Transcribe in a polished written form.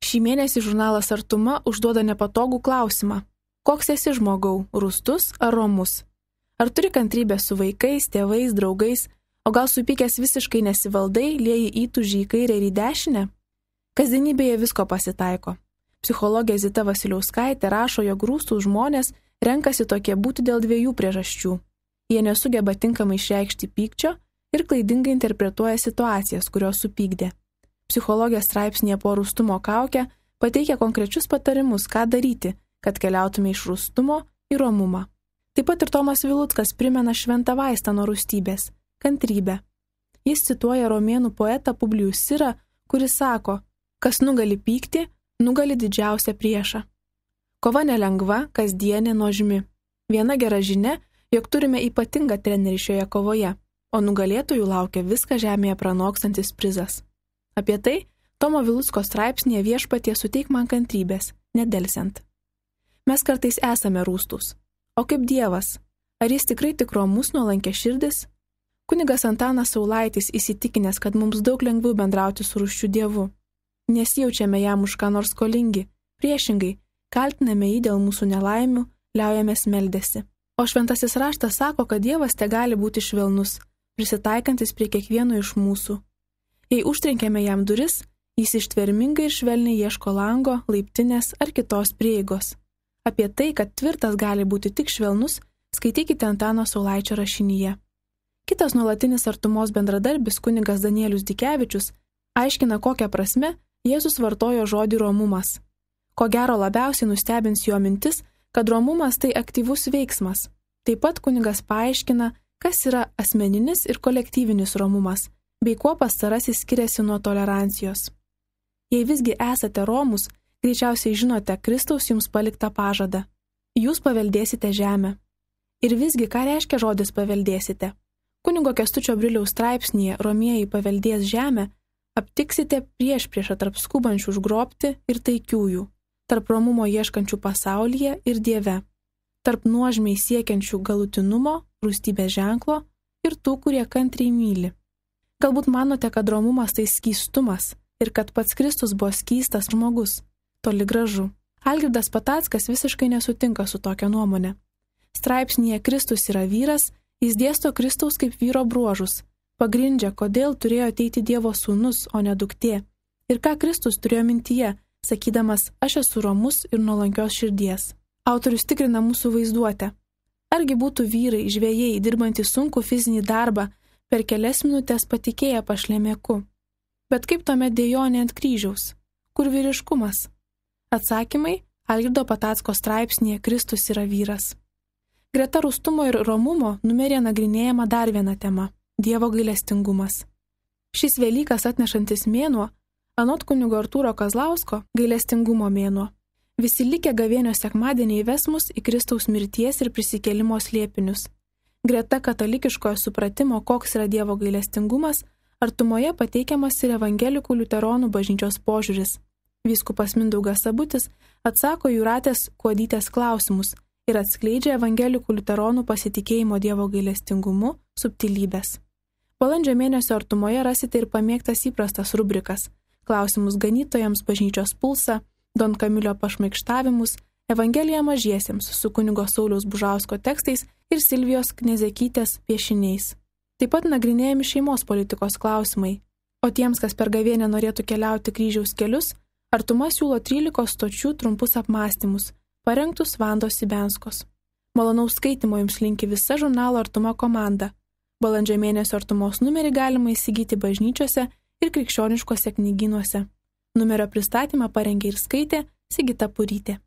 Šį mėnesį žurnalas Artuma užduoda nepatogų klausimą. Koks esi žmogau, rūstus ar romus? Ar turi kantrybę su vaikais, tėvais, draugais, o gal supykęs visiškai nesivaldai, lieji įtūžį į kairę ir į dešinę? Kasdienybėje visko pasitaiko. Psichologė Zita Vasiliauskaitė rašo, jog rūstūs žmonės renkasi tokie būti dėl dviejų priežasčių. Jie nesugeba tinkamai išreikšti pykčio ir klaidingai interpretuoja situacijas, kurios supykdė. Psichologė straipsnėje po rūstumo kaukę pateikia konkrečius patarimus, ką daryti, kad keliautume iš rūstumo į romumą. Taip pat ir Tomas Viluckas primena šventą vaistą nuo rūstybės – kantrybę. Jis cituoja romėnų poetą Publijų Sirą, kuris sako, kas nugali pyktį, nugali didžiausią priešą. Kova nelengva, kasdienė, nuožmi. Viena gera žinia, jog turime ypatingą trenerį šioje kovoje, o nugalėtojų laukia viską žemėje pranokstantis prizas. Apie tai Tomo Vilucko straipsnėje Viešpatie suteik man kantrybės, nedelsiant. Mes kartais esame rūstūs. O kaip Dievas? Ar jis tikrai tik romus nuolankia širdis? Kunigas Antanas Saulaitis įsitikinęs, kad mums daug lengviau bendrauti su rūsčiu Dievu. Nesijaučiame jam už ką nors skolingi, priešingai, kaltiname jį dėl mūsų nelaimių, liaujamės meldėsi. O šventasis raštas sako, kad Dievas tegali būti švelnus, prisitaikantis prie kiekvieno iš mūsų. Jei užtrenkėme jam duris, jis ištvermingai ir švelniai ieško lango, laiptinės ar kitos prieigos. Apie tai, kad tvirtas gali būti tik švelnus, skaitykite Antano Saulaičio rašinyje. Kitas nuolatinis Artumos bendradarbis kunigas Danielius Dikevičius aiškina, kokią prasme Jėzus vartojo žodį romumas. Ko gero labiausiai nustebins jo mintis, kad romumas tai aktyvus veiksmas. Taip pat kunigas paaiškina, kas yra asmeninis ir kolektyvinis romumas, bei kuo pastarasis skiriasi nuo tolerancijos. Jei visgi esate romus, greičiausiai žinote Kristaus jums paliktą pažadą. Jūs paveldėsite žemę. Ir visgi, ką reiškia žodis paveldėsite? Kunigo Kęstučio Briliaus straipsnėje Romieji paveldės žemę aptiksite priešpriešą tarp skubančių užgrobti ir taikiųjų, tarp romumo ieškančių pasaulyje ir Dieve, tarp nuožmiai siekiančių galutinumo, rūstybės ženklo ir tų, kurie kantriai myli. Galbūt manote, kad romumas tai skystumas ir kad pats Kristus buvo skystas žmogus. Toli gražu. Algirdas Patackas visiškai nesutinka su tokia nuomonė. Straipsnėje Kristus yra vyras, jis dėsto Kristaus kaip vyro bruožus, pagrindžia, kodėl turėjo ateiti Dievo sūnus, o ne duktė, ir ką Kristus turėjo mintyje, sakydamas, aš esu romus ir nuolankios širdies. Autorius tikrina mūsų vaizduotę. Argi būtų vyrai, žvejai, dirbantys sunkų fizinį darbą, per kelias minutės patikėję pašlemėku. Bet kaip tuomet dejonė ant kryžiaus? Kur vyriškumas? Atsakymai Algirdo Patacko straipsnėje Kristus yra vyras. Greta rūstumo ir romumo numeryje nagrinėjama dar viena tema – Dievo gailestingumas. Šis Velykas atnešantis mėnuo, anot kunigo Artūro Kazlausko, gailestingumo mėnuo. Visi likę gavėnios sekmadieniai ves mus į Kristaus mirties ir prisikėlimo slėpinius. Greta katalikiškojo supratimo, koks yra Dievo gailestingumas, Artumoje pateikiamas ir evangelikų liuteronų bažnyčios požiūris. Vyskupas Mindaugas Sabutis atsako Jūratės Kuodytės klausimus ir atskleidžia evangelikų liuteronų pasitikėjimo Dievo gailestingumu subtilybės. Balandžio mėnesio Artumoje rasite ir pamėgtas įprastas rubrikas – klausimus ganytojams, bažnyčios pulsą, Don Kamilio pašmaikštavimus, Evangelija mažiesiems su kunigo Sauliaus Bužausko tekstais ir Silvijos Knezekytės piešiniais. Taip pat nagrinėjami šeimos politikos klausimai. O tiems, kas per gavėnią norėtų keliauti kryžiaus kelius, Artuma siūlo 13 stočių trumpus apmąstymus, parengtus Vandos Sibenskos. Malonaus skaitimo jums linki visa žurnalo Artuma komanda. Balandžio mėnesio Artumos numerį galima įsigyti bažnyčiose ir krikščioniškose knygynuose. Numerio pristatymą parengė ir skaitė Sigita Purytė.